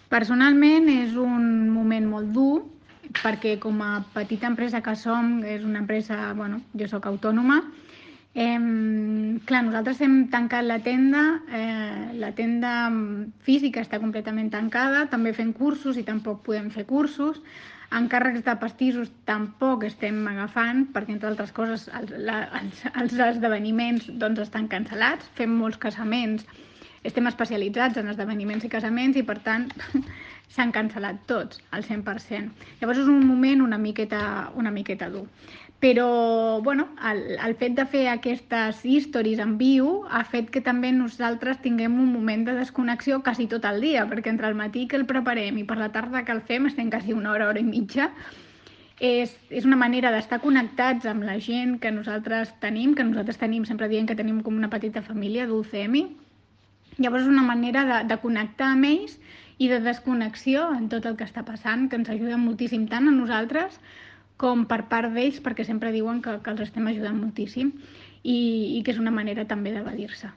Personalment és un moment molt dur perquè com a petita empresa que som, és una empresa, bueno, jo sóc autònoma, clar, nosaltres hem tancat la tenda física està completament tancada, també fem cursos i tampoc podem fer cursos, encàrrecs de pastissos tampoc estem agafant perquè, entre altres coses, els esdeveniments doncs, estan cancel·lats, fem molts casaments, estem especialitzats en esdeveniments i casaments i, per tant, s'han cancel·lat tots, al 100%. Llavors és un moment una miqueta dur. Però, bueno, el fet de fer aquestes stories en viu ha fet que també nosaltres tinguem un moment de desconnexió quasi tot el dia, perquè entre el matí que el preparem i per la tarda que el fem estem quasi una hora i mitja. És una manera d'estar connectats amb la gent que nosaltres tenim, sempre diem que tenim com una petita família d'UCM. Llavors és una manera de connectar amb ells i de desconnexió en tot el que està passant, que ens ajuda moltíssim tant a nosaltres com per part d'ells, perquè sempre diuen que els estem ajudant moltíssim i que és una manera també d'evadir-se.